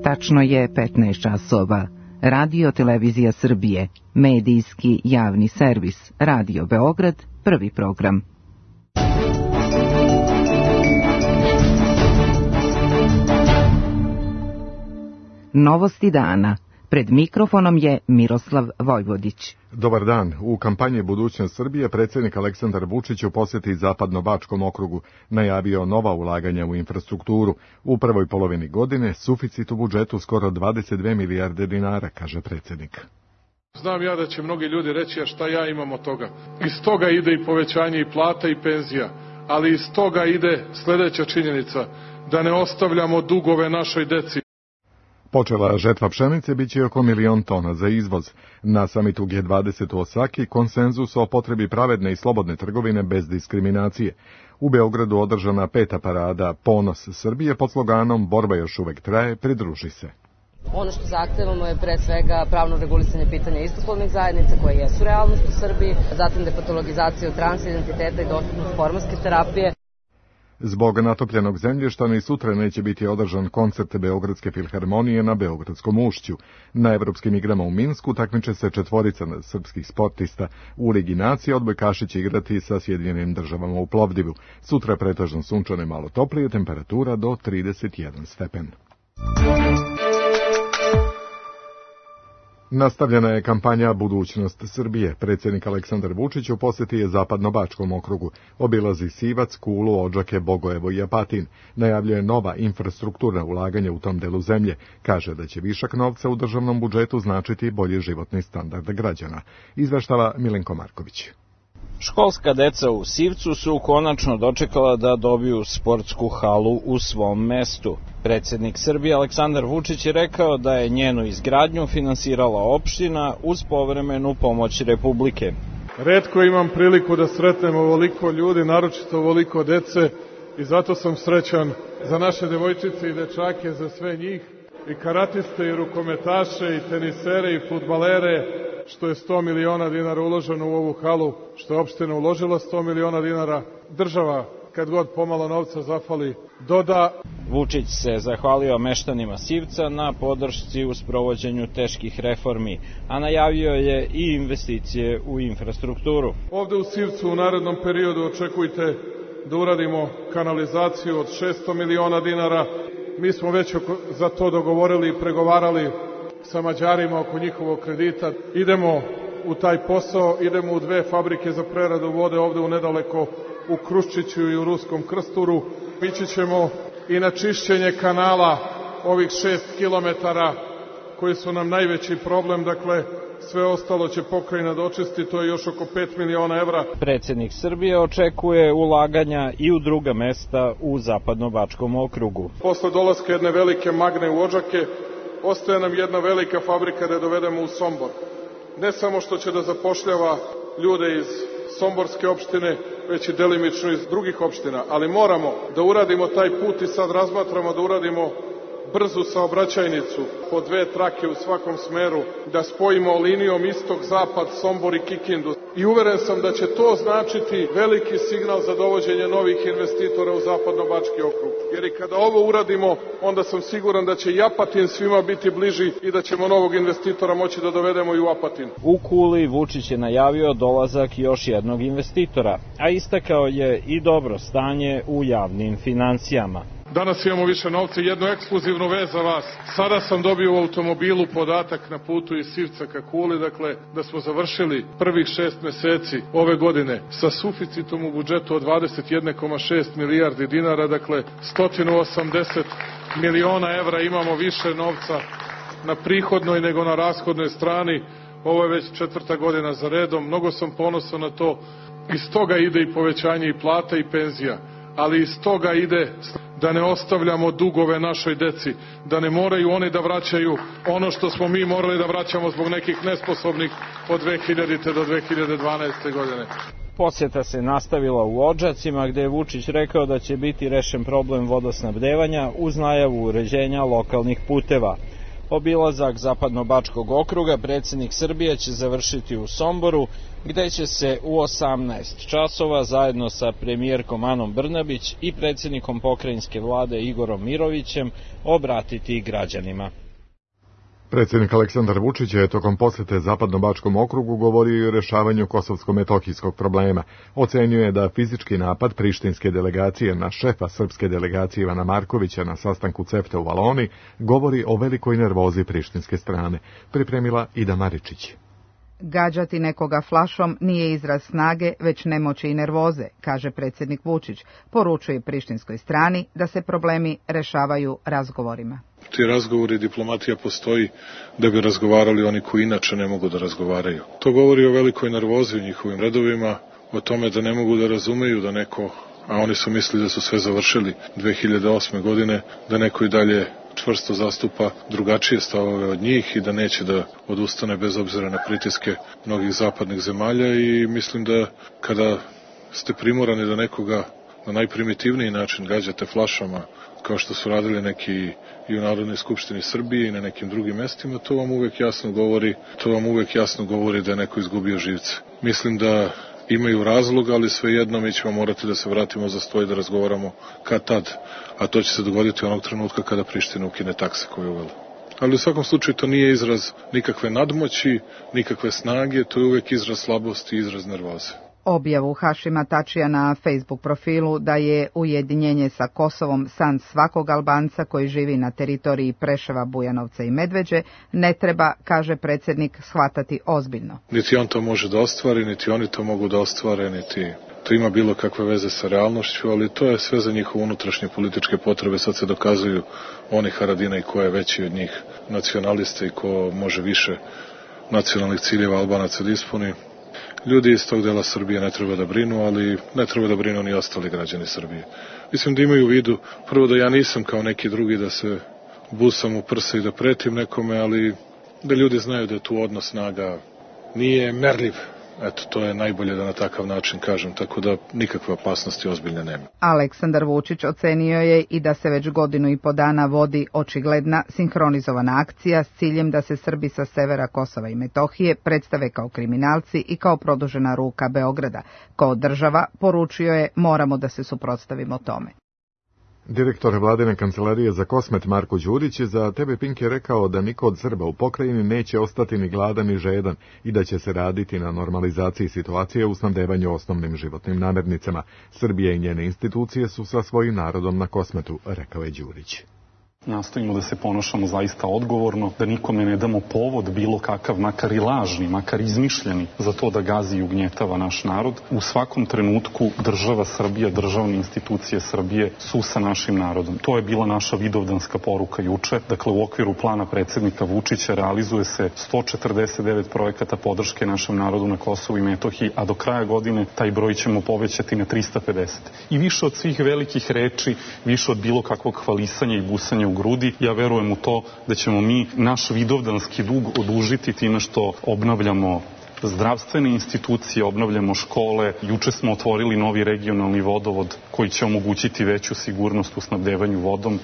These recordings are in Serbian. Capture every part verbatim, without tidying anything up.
Tačno je petnaest časova. Radio Televizija Srbije, medijski javni servis, Radio Beograd, prvi program. Novosti dana. Pred mikrofonom je Miroslav Vojvodić. Dobar dan. U kampanji Budućnost Srbije predsjednik Aleksandar Vučić u posjeti Zapadno-Bačkom okrugu najavio nova ulaganja u infrastrukturu. U prvoj polovini godine suficit u budžetu skoro dvadeset dve milijarde dinara, kaže predsjednik. Znam ja da će mnogi ljudi reći, a šta ja imam od toga. Iz toga ide i povećanje i plata i penzija, ali iz toga ide sljedeća činjenica, da ne ostavljamo dugove našoj deci. Počela žetva pšenice bit će oko milion tona za izvoz. Na samitu G dvadeset u Osaki konsenzus o potrebi pravedne i slobodne trgovine bez diskriminacije. U Beogradu održana peta parada Ponos Srbije pod sloganom Borba još uvek traje, pridruži se. Ono što zahtevamo je pre svega pravno regulisanje pitanja istopolnih zajednica koje jesu realnost u Srbiji, zatim depatologizaciju transidentiteta i dostupnost hormonske terapije. Zbog natopljenog zemljišta ni sutra neće biti održan koncert Beogradske filharmonije na Beogradskom ušću. Na evropskim igrama u Minsku takmiče se četvorica srpskih sportista. U Ligi nacija odbojkaši će igrati sa Sjedinjenim državama u Plovdivu. Sutra pretežno sunčano i malo toplije, temperatura do trideset jedan stepen. Nastavljena je kampanja Budućnost Srbije. Predsjednik Aleksandar Vučić u posjeti je Zapadno-Bačkom okrugu. Obilazi Sivac, Kulu, Odžake, Bogojevo i Apatin. Najavljuje nova infrastrukturna ulaganja u tom delu zemlje. Kaže da će višak novca u državnom budžetu značiti bolji životni standard građana. Izveštava Milenko Marković. Školska deca u Sivcu su konačno dočekala da dobiju sportsku halu u svom mestu. Predsjednik Srbije Aleksandar Vučić je rekao da je njenu izgradnju finansirala opština uz povremenu pomoć Republike. Retko imam priliku da sretnem ovoliko ljudi, naročito ovoliko dece, i zato sam srećan za naše devojčice i dečake, za sve njih, i karatiste, i rukometaše, i tenisere, i fudbalere, što je sto miliona dinara uloženo u ovu halu, što je opština uložila sto miliona dinara, država, kad god pomalo novca zafali, doda. Vučić se zahvalio meštanima Sivca na podršci u sprovođenju teških reformi, a najavio je i investicije u infrastrukturu. Ovde u Sivcu u narednom periodu očekujte da uradimo kanalizaciju od šesto miliona dinara. Mi smo već za to dogovorili i pregovarali sa Mađarima oko njihovog kredita. Idemo u taj posao, idemo u dve fabrike za preradu vode ovde u nedaleko u Kruščiću i u Ruskom Krsturu. Ići ćemo i na čišćenje kanala ovih šest kilometara koji su nam najveći problem, dakle sve ostalo će pokrajina dočisti, to je još oko pet miliona evra. Predsjednik Srbije očekuje ulaganja i u druga mesta u Zapadno-Bačkom okrugu. Posle dolaska jedne velike Magne u Odžake, ostaje nam jedna velika fabrika da dovedemo u Sombor. Ne samo što će da zapošljava ljude iz Somborske opštine, već i delimično iz drugih opština, ali moramo da uradimo taj put i sad razmatramo da uradimo brzu saobraćajnicu po dve trake u svakom smeru, da spojimo linijom istok-zapad, Sombor i Kikindu. I uveren sam da će to značiti veliki signal za dovođenje novih investitora u Zapadno-Bački okrug. Jer i kada ovo uradimo, onda sam siguran da će i Apatin svima biti bliži i da ćemo novog investitora moći da dovedemo i u Apatin. U Kuli Vučić je najavio dolazak još jednog investitora, a istakao je i dobro stanje u javnim financijama. Danas imamo više novca i jednu ekskluzivnu vez za vas. Sada sam dobio u automobilu podatak na putu iz Sivca ka Kuli, dakle da smo završili prvih šest meseci ove godine sa suficitom u budžetu od dvadeset jedan zarez šest milijardi dinara, dakle sto osamdeset miliona evra imamo više novca na prihodnoj nego na rashodnoj strani. Ovo je već četvrta godina za redom, mnogo sam ponosan na to. Iz toga ide i povećanje i plata i penzija, ali iz toga ide da ne ostavljamo dugove našoj deci, da ne moraju oni da vraćaju ono što smo mi morali da vraćamo zbog nekih nesposobnih od dve hiljadite do dve hiljade dvanaeste. godine. Posjeta se nastavila u Odžacima, gde je Vučić rekao da će biti rešen problem vodosnabdevanja uz najavu uređenja lokalnih puteva. Obilazak Zapadnobačkog okruga predsjednik Srbije će završiti u Somboru, gde će se u osamnaest časova zajedno sa premijerkom Anom Brnabić i predsjednikom pokrajinske vlade Igorom Mirovićem obratiti građanima. Predsjednik Aleksandar Vučić je tokom posjete Zapadnobačkom okrugu govorio i o rješavanju kosovsko-metohijskog problema. Ocenio je da fizički napad prištinske delegacije na šefa srpske delegacije Ivana Markovića na sastanku CEFTA u Valoni govori o velikoj nervozi prištinske strane. Pripremila Ida Maričić. Gađati nekoga flašom nije izraz snage, već nemoći i nervoze, kaže predsjednik Vučić. Poručuje prištinskoj strani da se problemi rešavaju razgovorima. Ti razgovori i diplomatija postoji da bi razgovarali oni koji inače ne mogu da razgovaraju. To govori o velikoj nervozi u njihovim redovima, o tome da ne mogu da razumeju da neko, a oni su mislili da su sve završili dve hiljade osme godine, da neko i dalje čvrsto zastupa drugačije stavove od njih i da neće da odustane bez obzira na pritiske mnogih zapadnih zemalja. I mislim da kada ste primorani da nekoga na najprimitivniji način gađate flašama, kao što su radili neki i u Narodnoj skupštini Srbije i na nekim drugim mestima, to vam uvek jasno govori, to vam uvek jasno govori da je neko izgubio živce. Mislim da imaju razlog, ali svejedno mi ćemo morati da se vratimo za sto i da razgovaramo kad tad, a to će se dogoditi onog trenutka kada Priština ukine takse koje je uvela. Ali u svakom slučaju to nije izraz nikakve nadmoći, nikakve snage, to je uvek izraz slabosti i izraz nervoze. Objavu Hašima Tačija na Facebook profilu da je ujedinjenje sa Kosovom san svakog Albanca koji živi na teritoriji Preševa, Bujanovca i Medveđe ne treba, kaže predsjednik, shvatati ozbiljno. Niti on to može da ostvari, niti oni to mogu da ostvare, niti to ima bilo kakve veze sa realnošću, ali to je sve za njihove unutrašnje političke potrebe. Sad se dokazuju oni Haradina i ko je veći od njih nacionalista i ko može više nacionalnih ciljeva Albanaca da ispuni. Ljudi iz tog dela Srbije ne treba da brinu, ali ne treba da brinu ni ostali građani Srbije. Mislim da imaju u vidu, prvo da ja nisam kao neki drugi da se busam u prsa i da pretim nekome, ali da ljudi znaju da je tu odnos snaga nije merljiv. Eto, to je najbolje da na takav način kažem, tako da nikakve opasnosti ozbiljne nema. Aleksandar Vučić ocenio je i da se već godinu i po dana vodi očigledna sinhronizovana akcija s ciljem da se Srbi sa severa Kosova i Metohije predstave kao kriminalci i kao produžena ruka Beograda. Kao država, poručio je, moramo da se suprotstavimo tome. Direktor vladine kancelarije za Kosmet Marko Đurić je za T V Pink je rekao da niko od Srba u pokrajini neće ostati ni gladan ni žedan i da će se raditi na normalizaciji situacije u snabdevanju osnovnim životnim namirnicama. Srbija i njene institucije su sa svojim narodom na Kosmetu, rekao je Đurić. Nastojimo da se ponašamo zaista odgovorno, da nikome ne damo povod bilo kakav, makar i lažni, makar izmišljeni, za to da gazi i ugnjetava naš narod. U svakom trenutku država Srbija, državne institucije Srbije su sa našim narodom. To je bila naša vidovdanska poruka juče. Dakle, u okviru plana predsjednika Vučića realizuje se sto četrdeset devet projekata podrške našem narodu na Kosovu i Metohiji, a do kraja godine taj broj ćemo povećati na trista pedeset. I više od svih velikih reči, više od bilo kakvog hvalisanja i busanja u grudi, ja verujem u to da ćemo mi naš vidovdanski dug odužiti time što obnavljamo zdravstvene institucije, obnavljamo škole. Juče smo otvorili novi regionalni vodovod koji će omogućiti veću sigurnost u snabdevanju vodom.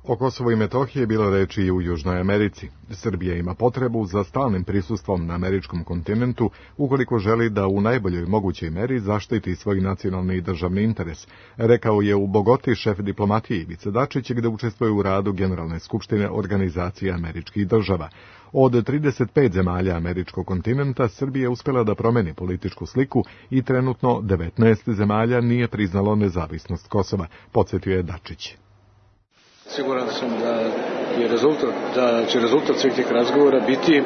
O Kosovu i Metohiji je bilo reči i u Južnoj Americi. Srbija ima potrebu za stalnim prisustvom na američkom kontinentu ukoliko želi da u najboljoj mogućoj meri zaštiti svoj nacionalni i državni interes, rekao je u Bogoti šef diplomatije Ivica Dačić, gde učestvuje u radu Generalne skupštine Organizacije američkih država. Od trideset pet zemalja američkog kontinenta Srbija je uspjela da promeni političku sliku i trenutno devetnaest zemalja nije priznalo nezavisnost Kosova, podsjetio je Dačić. Siguran sam da je rezultat, da će rezultat svih tih razgovora biti e,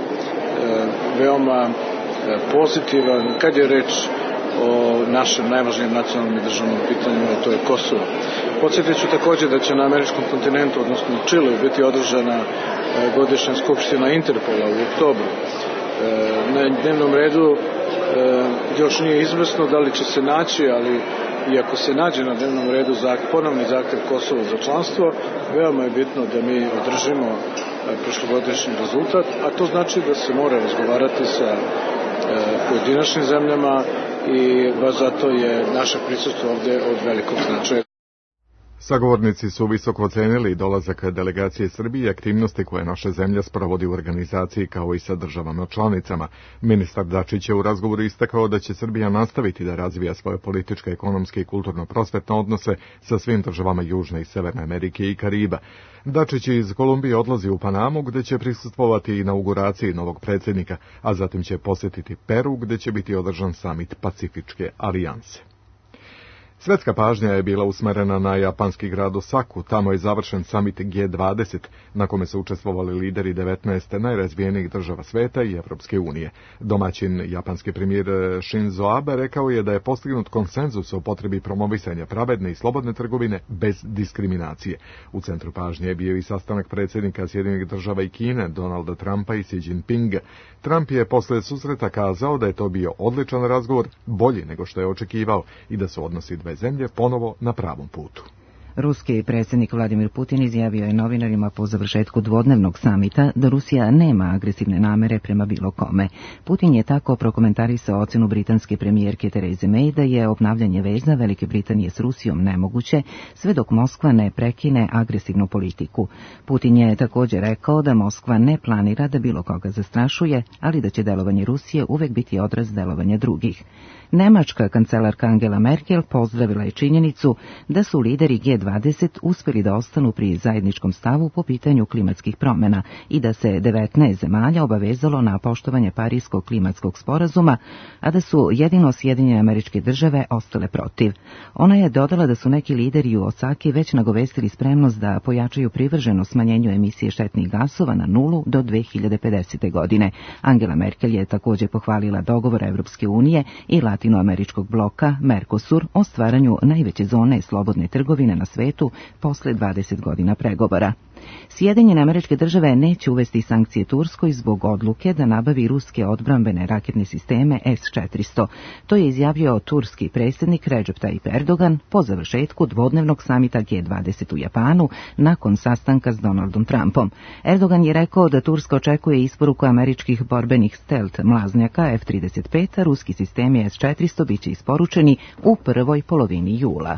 veoma e, pozitivan kad je reč o našem najvažnijem nacionalnom i državnom pitanju, a to je Kosovo. Podsjetit ću također da će na američkom kontinentu, odnosno u Čileu, biti održana e, godišnja skupština Interpola u oktobru. E, na dnevnom redu e, još nije izvesno da li će se naći, ali i ako se nađe na dnevnom redu ponovni zahtjev Kosova za članstvo, veoma je bitno da mi održimo prošlogodišnji rezultat, a to znači da se mora razgovarati sa pojedinačnim zemljama i baš zato je naše prisustvo ovdje od velikog značaja. Sagovornici su visoko ocenili dolazak delegacije Srbije i aktivnosti koje naša zemlja sprovodi u organizaciji kao i sa državama članicama. Ministar Dačić je u razgovoru istakao da će Srbija nastaviti da razvija svoje političke, ekonomske i kulturno-prosvetne odnose sa svim državama Južne i Severne Amerike i Kariba. Dačić iz Kolumbije odlazi u Panamu gde će prisustvovati inauguraciji novog predsjednika, a zatim će posjetiti Peru gde će biti održan samit Pacifičke alijanse. Svetska pažnja je bila usmerena na japanski grad Osaku, tamo je završen samit G dvadeset, na kome su učestvovali lideri devetnaest najrazvijenijih država sveta i Evropske unije. Domaćin japanski premijer Shinzo Abe rekao je da je postignut konsenzus o potrebi promovisanja pravedne i slobodne trgovine bez diskriminacije. U centru pažnje je bio i sastanak predsjednika Sjedinjenih država i Kine, Donalda Trumpa i Xi Jinpinga. Trump je posle susreta kazao da je to bio odličan razgovor, bolji nego što je očekivao i da su odnosi dve zemlje ponovo na pravom putu. Ruski predsjednik Vladimir Putin izjavio je novinarima po završetku dvodnevnog samita da Rusija nema agresivne namere prema bilo kome. Putin je tako prokomentarisao ocjenu britanske premijerke Therese May da je obnavljanje veza Velike Britanije s Rusijom nemoguće sve dok Moskva ne prekine agresivnu politiku. Putin je također rekao da Moskva ne planira da bilo koga zastrašuje, ali da će delovanje Rusije uvek biti odraz delovanja drugih. Nemačka kancelarka Angela Merkel pozdravila je činjenicu da su lideri G dvadeset uspjeli da ostanu pri zajedničkom stavu po pitanju klimatskih promjena i da se devetnaest zemalja obavezalo na poštovanje Parijskog klimatskog sporazuma, a da su jedino Sjedinjene Američke Države ostale protiv. Ona je dodala da su neki lideri u Osaki već nagovestili spremnost da pojačaju privrženo smanjenju emisije štetnih gasova na nulu do dve hiljade pedesete. godine. Angela Merkel je također pohvalila dogovor Evropske unije i latinoameričkog bloka Mercosur o stvaranju najveće zone slobodne trgovine na svetu posle dvadeset godina pregovora. Sjedinjene Američke Države neće uvesti sankcije Turskoj zbog odluke da nabavi ruske odbrambene raketne sisteme S četiristo. To je izjavio turski predsjednik Recep Tayyip Erdogan po završetku dvodnevnog samita G dvadeset u Japanu nakon sastanka s Donaldom Trumpom. Erdogan je rekao da Turska očekuje isporuku američkih borbenih stealth mlaznjaka F trideset pet, a ruski sistemi S četiristo biće isporučeni u prvoj polovini jula.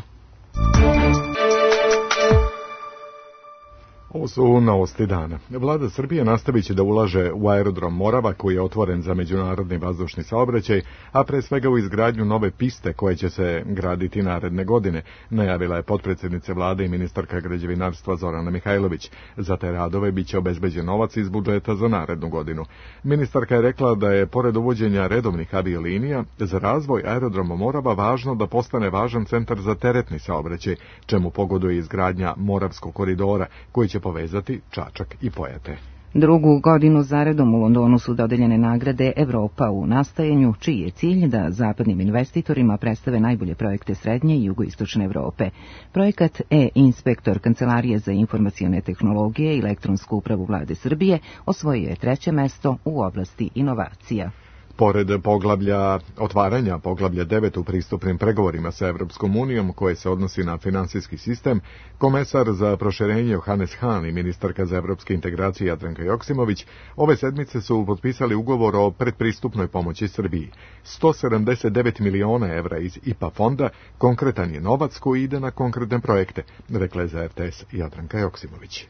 Ovo su novosti dana. Vlada Srbije nastavit će da ulaže u aerodrom Morava koji je otvoren za međunarodni vazdušni saobraćaj, a pre svega u izgradnju nove piste koje će se graditi naredne godine, najavila je potpredsjednica vlade i ministarka građevinarstva Zorana Mihajlović. Za te radove biće obezbeđen novac iz budžeta za narednu godinu. Ministarka je rekla da je pored uvođenja redovnih aviolinija za razvoj aerodroma Morava važno da postane važan centar za teretni saobraćaj, čemu pogoduje izgradnja Moravskog koridora koji će povezati Čačak i Pojate. Drugu godinu zaredom u Londonu su dodeljene nagrade Evropa u nastajanju, čiji je cilj da zapadnim investitorima predstave najbolje projekte srednje i jugoistočne Evrope. Projekat E-inspektor Kancelarije za informacione tehnologije i elektronsku upravu vlade Srbije osvojio je treće mesto u oblasti inovacija. Pored poglavlja otvaranja poglavlja devet u pristupnim pregovorima sa Evropskom unijom koje se odnosi na finansijski sistem, komesar za proširenje Johannes Hahn i ministarka za evropske integracije Jadranka Joksimović ove sedmice su potpisali ugovor o predpristupnoj pomoći Srbiji. sto sedamdeset devet miliona evra iz I P A fonda konkretan je novac koji ide na konkretne projekte, rekla je za R T S Jadranka Joksimović.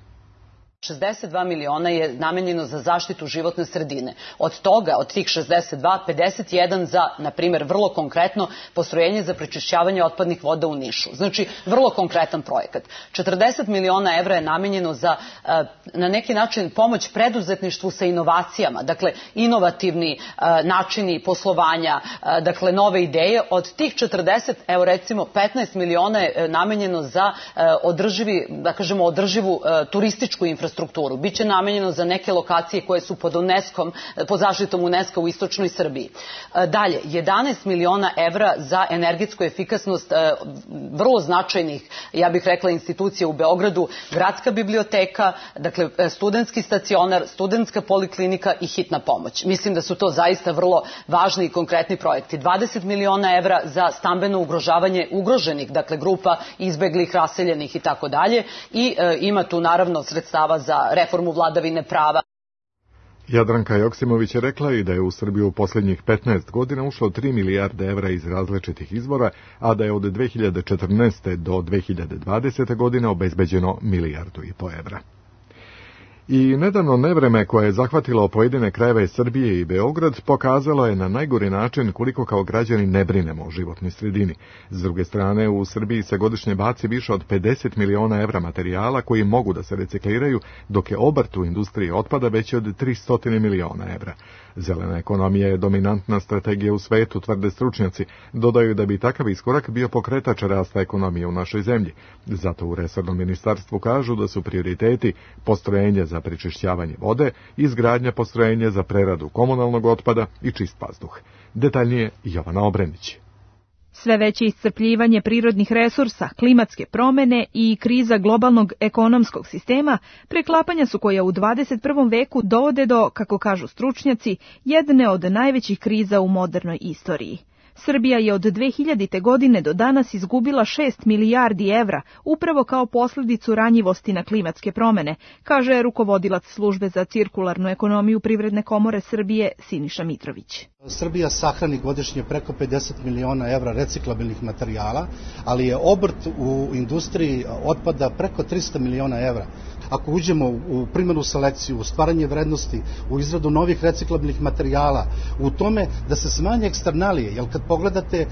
šezdeset dva miliona je namenjeno za zaštitu životne sredine. Od toga, od tih šezdeset dva, pedeset jedan za, na primjer, vrlo konkretno postrojenje za prečišćavanje otpadnih voda u Nišu. Znači, vrlo konkretan projekat. četrdeset miliona evra je namenjeno za, na neki način, pomoć preduzetništvu sa inovacijama. Dakle, inovativni načini poslovanja, dakle, nove ideje. Od tih četrdeset, evo recimo, petnaest miliona je namenjeno za održivi, da kažemo, održivu turističku infrastrukturu. infrastrukturu. Biće namenjeno za neke lokacije koje su pod UNESCO-om, pod zaštitom UNESCO u istočnoj Srbiji. Dalje, jedanaest miliona evra za energetsku efikasnost vrlo značajnih, ja bih rekla, institucija u Beogradu, gradska biblioteka, dakle studentski stacionar, studentska poliklinika i hitna pomoć. Mislim da su to zaista vrlo važni i konkretni projekti. dvadeset miliona evra za stambeno ugrožavanje ugroženih, dakle grupa izbeglih, raseljenih i tako dalje. I ima tu naravno sredstava za reformu vladavine prava. Jadranka Joksimović je rekla i da je u Srbiju u posljednjih petnaest godina ušlo tri milijarde evra iz različitih izvora, a da je od dve hiljade četrnaeste. do dve hiljade dvadesete. godine obezbeđeno milijardu i po evra. I nedavno nevreme koje je zahvatilo pojedine krajeve Srbije i Beograd pokazalo je na najgori način koliko kao građani ne brinemo o životnoj sredini. S druge strane, u Srbiji se godišnje baci više od pedeset miliona evra materijala koji mogu da se recikliraju, dok je obrt u industriji otpada veći od tristo miliona evra. Zelena ekonomija je dominantna strategija u svetu, tvrde stručnjaci. Dodaju da bi takav iskorak bio pokretač rasta ekonomije u našoj zemlji. Zato u resornom ministarstvu kažu da su prioriteti postrojenje za prečišćavanje vode, izgradnja postrojenja za preradu komunalnog otpada i čist vazduh. Detaljnije Jovana Obrenić. Sve veće iscrpljivanje prirodnih resursa, klimatske promene i kriza globalnog ekonomskog sistema preklapanja su koja u dvadeset prvom veku dovode do, kako kažu stručnjaci, jedne od najvećih kriza u modernoj istoriji. Srbija je od dve hiljadite. godine do danas izgubila šest milijardi evra, upravo kao posljedicu ranjivosti na klimatske promene, kaže rukovodilac službe za cirkularnu ekonomiju Privredne komore Srbije Siniša Mitrović. Srbija sahrani godišnje preko pedeset miliona evra reciklabilnih materijala, ali je obrt u industriji otpada preko tristo miliona evra. Ako uđemo u primjenu selekciju, u stvaranje vrednosti, u izradu novih reciklabilnih materijala, u tome da se smanje eksternalije, jer kad pogledate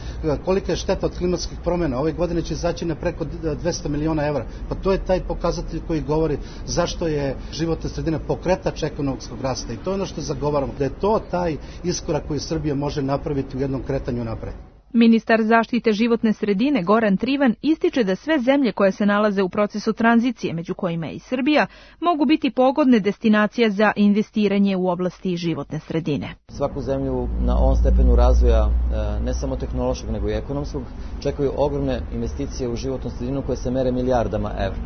kolika je šteta od klimatskih promjena, ove godine će izaći na preko dvesta miliona evra, pa to je taj pokazatelj koji govori zašto je životna sredina pokretač ekonomskog rasta i to je ono što zagovaramo, da je to taj iskorak koji Srbija može napraviti u jednom kretanju napred. Ministar zaštite životne sredine Goran Trivan ističe da sve zemlje koje se nalaze u procesu tranzicije, među kojima je i Srbija, mogu biti pogodne destinacije za investiranje u oblasti životne sredine. Svaku zemlju na ovom stepenu razvoja, ne samo tehnološkog nego i ekonomskog, čekaju ogromne investicije u životnu sredinu koje se mere milijardama evra.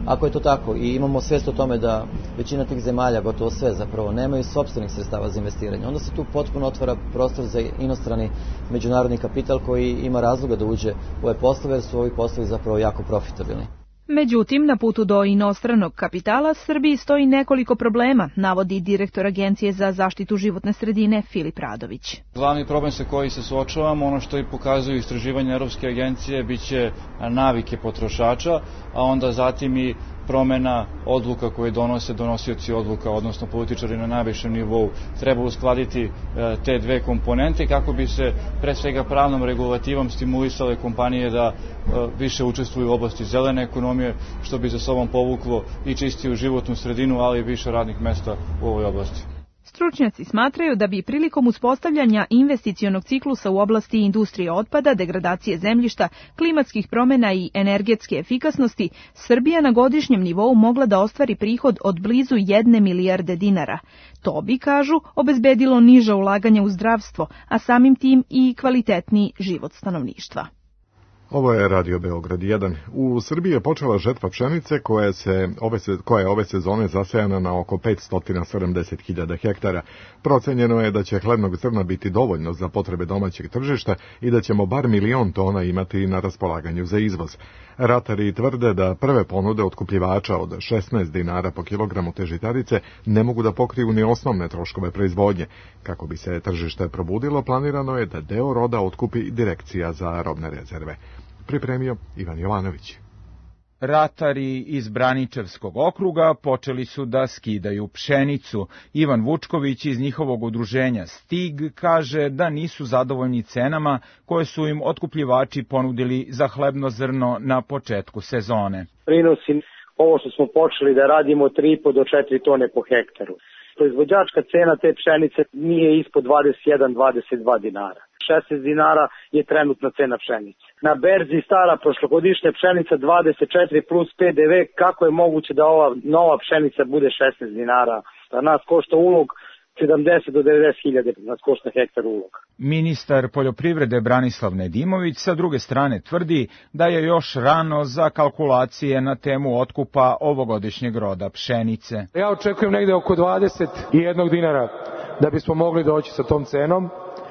Ako je to tako i imamo svest o tome da većina tih zemalja, gotovo sve zapravo, nemaju sopstvenih sredstava za investiranje, onda se tu potpuno otvara prostor za inostrani međunarodni kapital koji ima razloga da uđe u ove poslove, jer su ovi poslovi zapravo jako profitabilni. Međutim, na putu do inostranog kapitala Srbiji stoji nekoliko problema, navodi direktor Agencije za zaštitu životne sredine Filip Radović. Glavni problem sa koji se suočavamo, ono što i pokazuju istraživanja Europske agencije, biće navike potrošača, a onda zatim i promena odluka koje donose donosioci odluka, odnosno političari na najvišem nivou. Treba uskladiti te dve komponente kako bi se pre svega pravnom regulativom stimulisale kompanije da više učestvuju u oblasti zelene ekonomije, što bi za sobom povuklo i čistiju životnu sredinu, ali i više radnih mesta u ovoj oblasti. Stručnjaci smatraju da bi prilikom uspostavljanja investicionog ciklusa u oblasti industrije otpada, degradacije zemljišta, klimatskih promjena i energetske efikasnosti, Srbija na godišnjem nivou mogla da ostvari prihod od blizu jedne milijarde dinara. To bi, kažu, obezbedilo niža ulaganja u zdravstvo, a samim tim i kvalitetniji život stanovništva. Ovo je Radio Beograd jedan. U Srbiji je počela žetva pšenice koja, se ove, koja je ove sezone zasejana na oko petsto sedamdeset hiljada hektara. Procenjeno je da će hlebnog zrna biti dovoljno za potrebe domaćeg tržišta i da ćemo bar milion tona imati na raspolaganju za izvoz. Ratari tvrde da prve ponude otkupljivača od šesnaest dinara po kilogramu te žitarice ne mogu da pokriju ni osnovne troškove proizvodnje. Kako bi se tržište probudilo, planirano je da deo roda otkupi Direkcija za robne rezerve. Pripremio Ivan Jovanović. Ratari iz Braničevskog okruga počeli su da skidaju pšenicu. Ivan Vučković iz njihovog udruženja Stig kaže da nisu zadovoljni cenama koje su im otkupljivači ponudili za hlebno zrno na početku sezone. Prinosi ovo što smo počeli da radimo tri i po do četiri tone po hektaru. Proizvođačka cena te pšenice nije ispod dvadeset jedan do dvadeset dva dinara. šesnaest dinara je trenutna cena pšenice. Na berzi stara prošlogodišnja pšenica dvadeset četiri plus P D V, kako je moguće da ova nova pšenica bude šesnaest dinara? Da nas košta ulog sedamdeset do devedeset hiljada, nas košta hektar uloga. Ministar poljoprivrede Branislav Nedimović sa druge strane tvrdi da je još rano za kalkulacije na temu otkupa ovogodišnjeg roda pšenice. Ja očekujem negde oko dvadeset jedan dinara da bismo mogli doći sa tom cenom.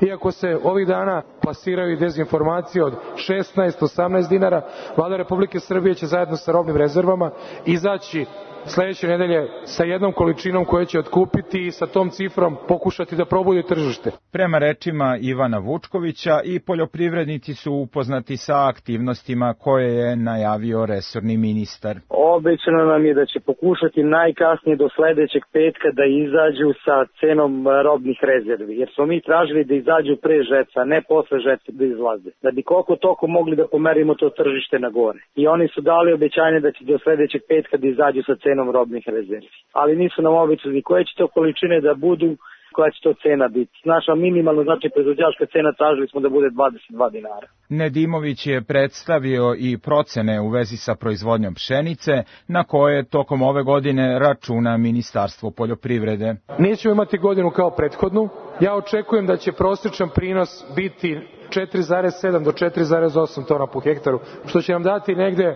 Iako se ovih dana plasiraju i dezinformacije od šesnaest do osamnaest dinara, Vlada Republike Srbije će zajedno sa robnim rezervama izaći sledeće nedelje sa jednom količinom koju će otkupiti i sa tom cifrom pokušati da probudi tržište. Prema rečima Ivana Vučkovića, i poljoprivrednici su upoznati sa aktivnostima koje je najavio resorni ministar. Obećano nam je da će pokušati najkasnije do sledećeg petka da izađu sa cenom robnih rezervi, jer smo mi tražili da izađu pre žeca, ne posle žeca da izlaze, da bi koliko toko mogli da pomerimo to tržište na gore. I oni su dali obećanje da će do sledećeg petka da izađu sa cenom robnih rezervi. Ali nisu nam obećali koje će to količine da budu, koja će to cena biti. Naša minimalna, znači proizvođačka cena, tražili smo da bude dvadeset dva dinara. Nedimović je predstavio i procene u vezi sa proizvodnjom pšenice, na koje tokom ove godine računa Ministarstvo poljoprivrede. Nećemo imati godinu kao prethodnu. Ja očekujem da će prosječan prinos biti četiri zarez sedam do četiri zarez osam tona po hektaru, što će nam dati negde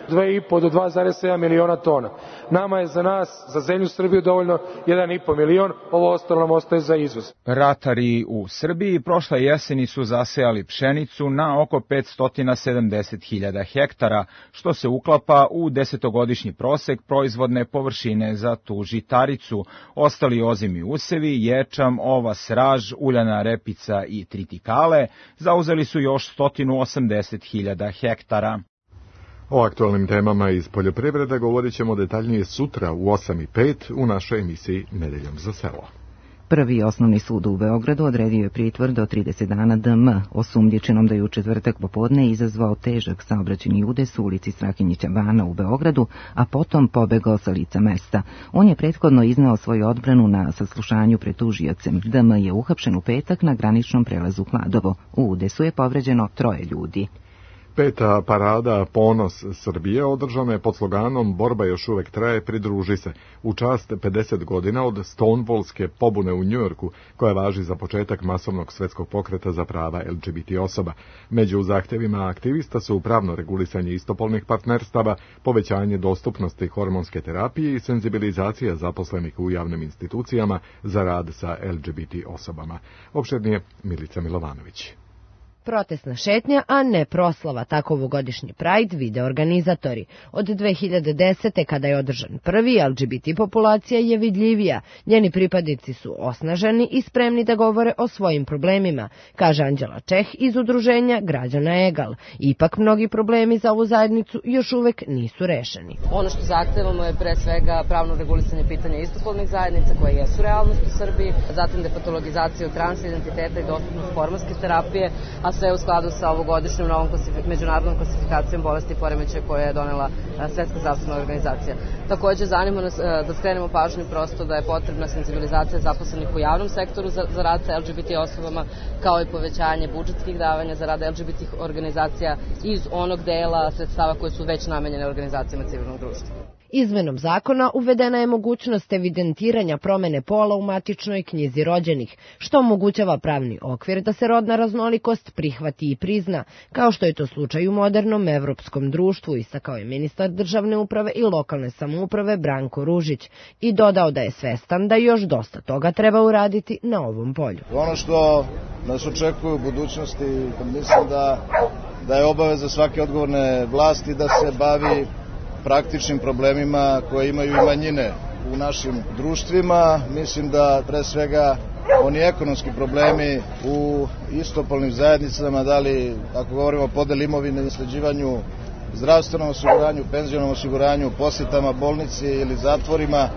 dve i po do dva zarez sedam miliona tona. Nama je za nas, za zemlju Srbiju, dovoljno jedan i po milion, ovo ostalo nam ostaje za izvoz. Ratari u Srbiji prošle jeseni su zasejali pšenicu na oko petsto sedamdeset hiljada hektara, što se uklapa u desetogodišnji prosek proizvodne površine za tu žitaricu. Ostali ozimi usevi, ječam, ovas, raž, uljana repica i tritikale zauzeli su još sto osamdeset hiljada hektara. O aktualnim temama iz poljoprivrede govorit ćemo detaljnije sutra u osam i pet u našoj emisiji Nedeljom za selo. Prvi osnovni sud u Beogradu odredio je pritvor do trideset dana D M, osumnjičenom da je u četvrtak popodne izazvao težak saobraćajni udes u ulici Strahinjića Bana u Beogradu, a potom pobegao sa lica mesta. On je prethodno izneo svoju odbranu na saslušanju pred tužiocem. D M je uhapšen u petak na graničnom prelazu Kladovo. U udesu je povređeno troje ljudi. Peta parada Ponos Srbije održana je pod sloganom Borba još uvek traje, pridruži se, u čast pedeset godina od Stonewallske pobune u Njujorku, koja važi za početak masovnog svetskog pokreta za prava L G B T osoba. Među zahtevima aktivista su pravno regulisanje istopolnih partnerstava, povećanje dostupnosti hormonske terapije i senzibilizacija zaposlenih u javnim institucijama za rad sa L G B T osobama. Opširnije Milica Milovanović. Protestna šetnja, a ne proslava, tako ovogodišnji Pride vide organizatori. Od dve hiljade desete. kada je održan prvi, L G B T populacija je vidljivija. Njeni pripadnici su osnaženi i spremni da govore o svojim problemima, kaže Anđela Čeh iz udruženja Građana Egal. Ipak mnogi problemi za ovu zajednicu još uvek nisu rešeni. Ono što zahtevamo je pre svega pravno regulisanje pitanja istopolnih zajednica koje jesu realnost u Srbiji, zatim depatologizaciju transidentiteta i dostupnost hormonske terapije, a sve u skladu sa ovogodišnjom novom klasifik međunarodnom klasifikacijom bolesti i poremećaja koje je donela Svetska zdravstvena organizacija. Takođe, zanima nas da skrenemo pažnju prosto da je potrebna senzibilizacija zaposlenih u javnom sektoru za, za rad sa L G B T osobama, kao i povećanje budžetskih davanja za rad L G B T organizacija iz onog dela sredstava koje su već namenjene organizacijama civilnog društva. Izmenom zakona uvedena je mogućnost evidentiranja promene pola u matičnoj knjizi rođenih, što omogućava pravni okvir da se rodna raznolikost prihvati i prizna, kao što je to slučaj u modernom evropskom društvu, istakao je ministar državne uprave i lokalne samouprave Branko Ružić i dodao da je svestan da još dosta toga treba uraditi na ovom polju. Ono što nas očekuje u budućnosti, mislim da, da je obaveza svake odgovorne vlasti da se bavi praktičnim problemima koje imaju i manjine u našim društvima. Mislim da pre svega oni ekonomski problemi u istopolnim zajednicama, da li ako govorimo o podeli imovine, nasleđivanju, zdravstvenom osiguranju, penzionom osiguranju, posjetama bolnici ili zatvorima,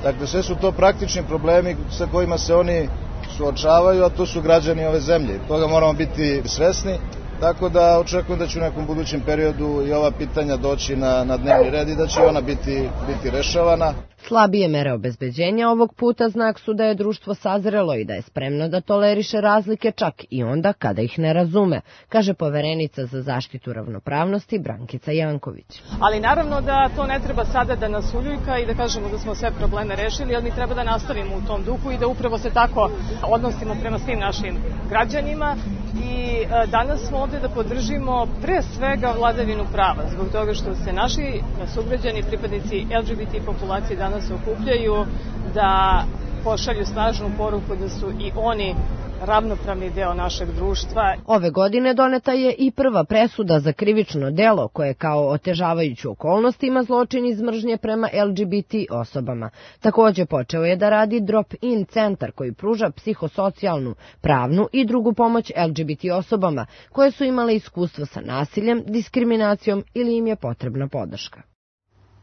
dakle sve su to praktični problemi sa kojima se oni suočavaju, a to su građani ove zemlje. Toga moramo biti svesni. Tako da očekujem da će u nekom budućem periodu i ova pitanja doći na, na dnevni red i da će ona biti, biti rešavana. Slabije mere obezbeđenja ovog puta znak su da je društvo sazrelo i da je spremno da toleriše razlike čak i onda kada ih ne razume, kaže poverenica za zaštitu ravnopravnosti Brankica Janković. Ali naravno da to ne treba sada da nas uljuljka i da kažemo da smo sve probleme rešili, ali mi treba da nastavimo u tom duhu i da upravo se tako odnosimo prema svim našim građanima. I danas smo ovde da podržimo pre svega vladavinu prava, zbog toga što se naši sugrađani, pripadnici L G B T populacije danas okupljaju, da pošalju snažnu poruku da su i oni ravnopravni deo našeg društva. Ove godine doneta je i prva presuda za krivično delo koje kao otežavajuću okolnost ima zločin iz mržnje prema L G B T osobama. Takođe počeo je da radi Drop-in centar koji pruža psihosocijalnu, pravnu i drugu pomoć L G B T osobama koje su imale iskustvo sa nasiljem, diskriminacijom ili im je potrebna podrška.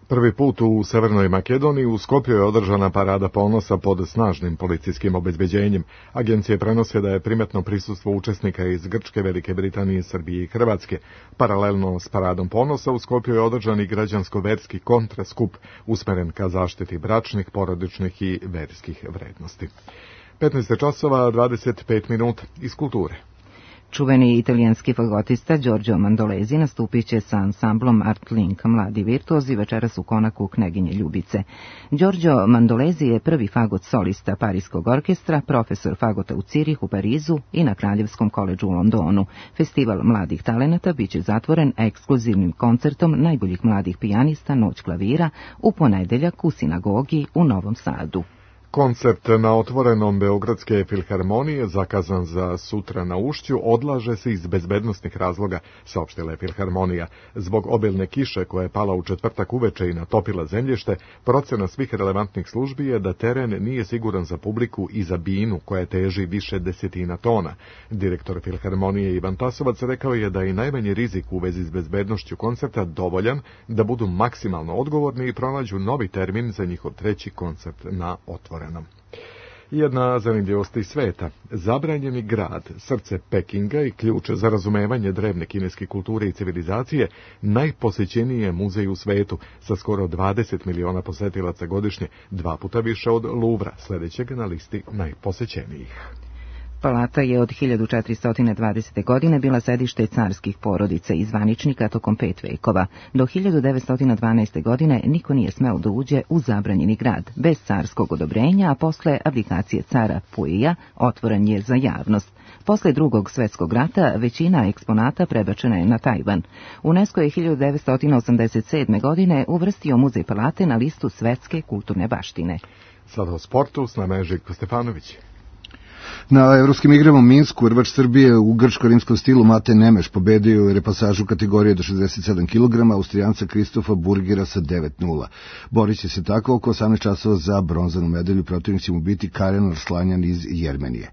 Prvi put u Severnoj Makedoniji u Skopju je održana parada ponosa pod snažnim policijskim obezbeđenjem. Agencije prenose da je primetno prisustvo učesnika iz Grčke, Velike Britanije, Srbije i Hrvatske. Paralelno s paradom ponosa u Skopju je održan i građansko-verski kontraskup usmeren ka zaštiti bračnih, porodičnih i verskih vrednosti. petnaest časova dvadeset pet minuta iz kulture. Čuveni italijanski fagotista Giorgio Mandolesi nastupit će sa ansamblom Art Link Mladi virtuozi večeras u Konaku Kneginje Ljubice. Giorgio Mandolesi je prvi fagot solista Parijskog orkestra, profesor fagota u Cirihu, Parizu i na Kraljevskom koledžu u Londonu. Festival mladih talenata biće zatvoren ekskluzivnim koncertom najboljih mladih pijanista Noć klavira u ponedeljak u sinagogi u Novom Sadu. Koncert na otvorenom Beogradske filharmonije, zakazan za sutra na Ušću, odlaže se iz bezbednostnih razloga, saopštila je filharmonija. Zbog obilne kiše koja je pala u četvrtak uveče i natopila zemljište, procena svih relevantnih službi je da teren nije siguran za publiku i za binu koja teži više desetina tona. Direktor filharmonije Ivan Tasovac rekao je da je i najmanji rizik u vezi s bezbednošću koncerta dovoljan da budu maksimalno odgovorni i pronađu novi termin za njihov treći koncert na otvorenom. Jedna zanimljivost iz sveta. Zabranjeni grad, srce Pekinga i ključ za razumevanje drevne kineske kulture i civilizacije, najposećeniji je muzej u svetu sa skoro dvadeset miliona posetilaca godišnje, dva puta više od Louvra, sledećeg na listi najposećenijih. Palata je od hiljadu četiristo dvadesete. godine bila sedište carskih porodica i zvaničnika tokom pet vekova. Do hiljadu devetsto dvanaeste. godine niko nije smeo da uđe u zabranjeni grad, bez carskog odobrenja, a posle abdikacije cara Puija otvoren je za javnost. Posle drugog svetskog rata većina eksponata prebačena je na Tajvan. UNESCO je hiljadu devetsto osamdeset sedme. godine uvrstio muzej Palate na listu svetske kulturne baštine. Sada o sportu, s nama je Željko Stefanović. Na evropskim igrama u Minsku rvač Srbije u grčko-rimskom stilu Mate Nemeš pobedio je repasažu kategorije do šezdeset sedam kilograma Austrijanca Kristofa Burgera sa devet nula. Borit će se tako oko osamnaest časova za bronzanu medalju, protivnik će mu biti Karen Arslanjan iz Jermenije.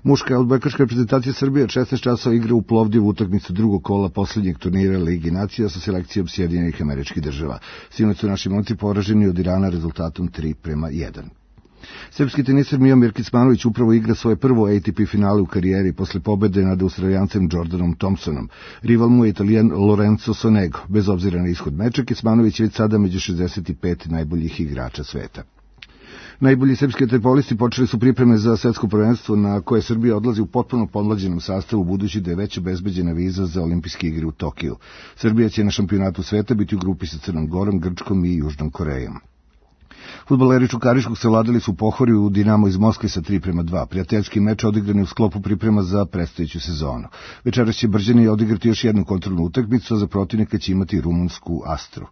Muška odbojkaška reprezentacija Srbije od šesnaest časova igra u Plovdivu utakmicu drugog kola poslednjeg turnira Ligi nacija sa selekcijom Sjedinjenih Američkih Država. Sinoć su naši momci poraženi od Irana rezultatom tri prema jedan. Srpski teniser Mijomir Kecmanović upravo igra svoje prvo A T P finale u karijeri posle pobede nad Australijancem Jordanom Thompsonom. Rival mu je Italijan Lorenzo Sonego. Bez obzira na ishod meča, Kecmanović je već sada među šezdeset pet najboljih igrača sveta. Najbolji srpski vaterpolisti počeli su pripreme za svetsko prvenstvo na koje Srbija odlazi u potpuno podmlađenom sastavu, budući da je već obezbeđena viza za olimpijske igre u Tokiju. Srbija će na šampionatu sveta biti u grupi sa Crnom Gorom, Grčkom i Južnom Korejom. Fudbaleri Čukariškog savladali su Pohorju u Dinamo iz Moskve sa tri prema dva. Prijateljski meč odigrani u sklopu priprema za predstojeću sezonu. Večeras će Brđani odigrati još jednu kontrolnu utakmicu, a za protivnika će imati rumunsku Astru.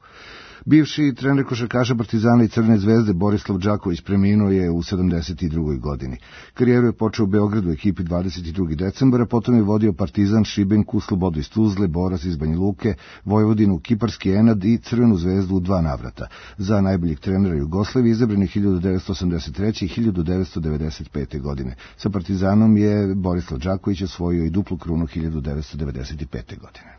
Bivši trener košarkaša Partizana i Crvene zvezde Borislav Đaković preminuo je u sedamdeset drugoj. godini. Karijeru je počeo u Beogradu u ekipi dvadeset drugog decembra, potom je vodio Partizan, Šibenku, Slobodu iz Tuzle, Boras iz Banja Luke, Vojvodinu, Kiparski Enad i Crvenu zvezdu u dva navrata. Za najboljeg trenera Jugoslavije izabran je hiljadu devetsto osamdeset treće. i hiljadu devetsto devedeset pete. godine. Sa Partizanom je Borislav Đaković osvojio i duplu krunu hiljadu devetsto devedeset pete. godine.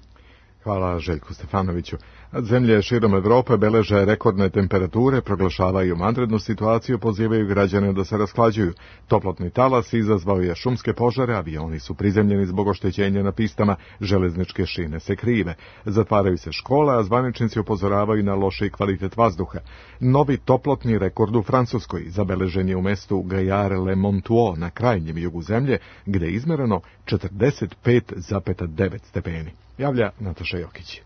Hvala Željku Stefanoviću. Zemlje širom Evrope beleže rekordne temperature, proglašavaju vanrednu situaciju, pozivaju građane da se rashlađuju. Toplotni talas izazvao je šumske požare, avioni su prizemljeni zbog oštećenja na pistama, železničke šine se krive. Zatvaraju se škole, a zvaničnici upozoravaju na loši kvalitet vazduha. Novi toplotni rekord u Francuskoj zabeležen je u mestu Gaillard-le-Montois na krajnjem jugu zemlje, gde je izmereno četrdeset pet zarez devet stepeni. Javlja Nataša Jokić.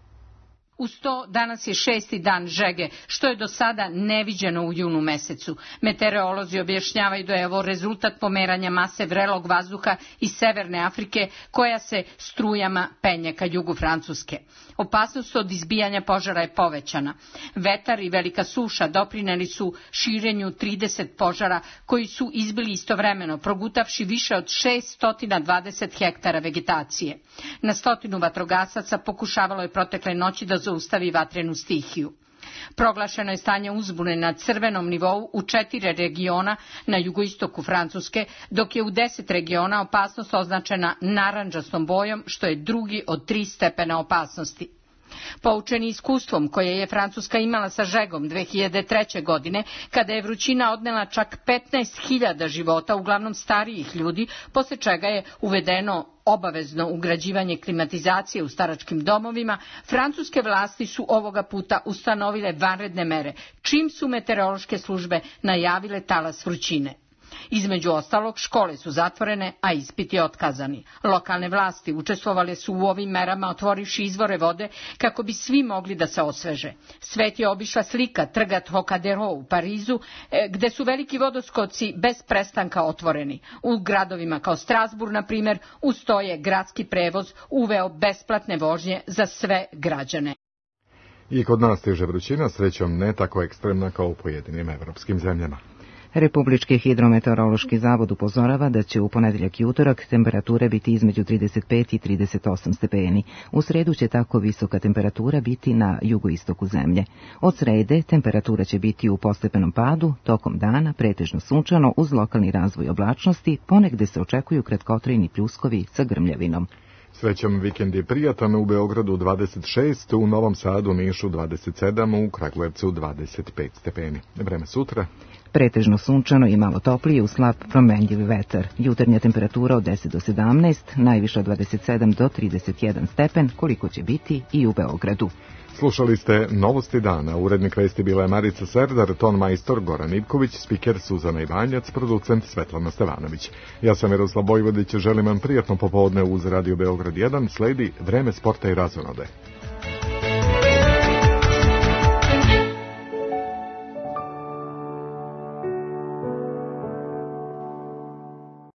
Uz to danas je šesti dan žege, što je do sada neviđeno u junu mesecu. Meteorolozi objašnjavaju da je ovo rezultat pomeranja mase vrelog vazduha iz Severne Afrike, koja se strujama penje ka jugu Francuske. Opasnost od izbijanja požara je povećana. Vetar i velika suša doprineli su širenju trideset požara koji su izbili istovremeno, progutavši više od šeststo dvadeset hektara vegetacije. Na stotinu vatrogasaca pokušavalo je protekle noći da zaustavi vatrenu stihiju. Proglašeno je stanje uzbune na crvenom nivou u četiri regiona na jugoistoku Francuske, dok je u deset regiona opasnost označena narandžastom bojom, što je drugi od tri stepena opasnosti. Poučeni iskustvom koje je Francuska imala sa žegom dve hiljade treće. godine, kada je vrućina odnela čak petnaest hiljada života, uglavnom starijih ljudi, posle čega je uvedeno obavezno ugrađivanje klimatizacije u staračkim domovima, francuske vlasti su ovoga puta ustanovile vanredne mere, čim su meteorološke službe najavile talas vrućine. Između ostalog, škole su zatvorene, a ispiti otkazani. Lokalne vlasti učestvovale su u ovim merama otvorivši izvore vode kako bi svi mogli da se osveže. Svet je obišla slika trga Trocadero u Parizu, gde su veliki vodoskoci bez prestanka otvoreni. U gradovima kao Strasbourg, na primjer, uz to je gradski prevoz uveo besplatne vožnje za sve građane. I kod nas stiže vrućina, srećom ne tako ekstremna kao u pojedinim evropskim zemljama. Republički hidrometeorološki zavod upozorava da će u ponedeljak i utorak temperature biti između trideset pet i trideset osam stepeni. U sredu će tako visoka temperatura biti na jugoistoku zemlje. Od srede temperatura će biti u postepenom padu, tokom dana pretežno sunčano uz lokalni razvoj oblačnosti, ponegde se očekuju kratkotrajni pljuskovi sa grmljavinom. Srećom vikend je prijatan, u Beogradu dvadeset šest, u Novom Sadu, Nišu dvadeset sedam, u Kragujevcu dvadeset pet stepeni. Vreme sutra? Pretežno sunčano i malo toplije uz slab promenljivi vetar. Jutarnja temperatura od deset do sedamnaest, najviša od dvadeset sedam do trideset jedan stepen, koliko će biti i u Beogradu. Slušali ste Novosti dana. Urednik vesti bila je Marica Serdar, ton majstor Goran Ivković, spiker Suzana Ivanjac, producent Svetlana Stevanović. Ja sam Miroslav Bojvodić, želim vam prijatno popodne uz Radio Beograd jedan, sledi Vreme sporta i razonode.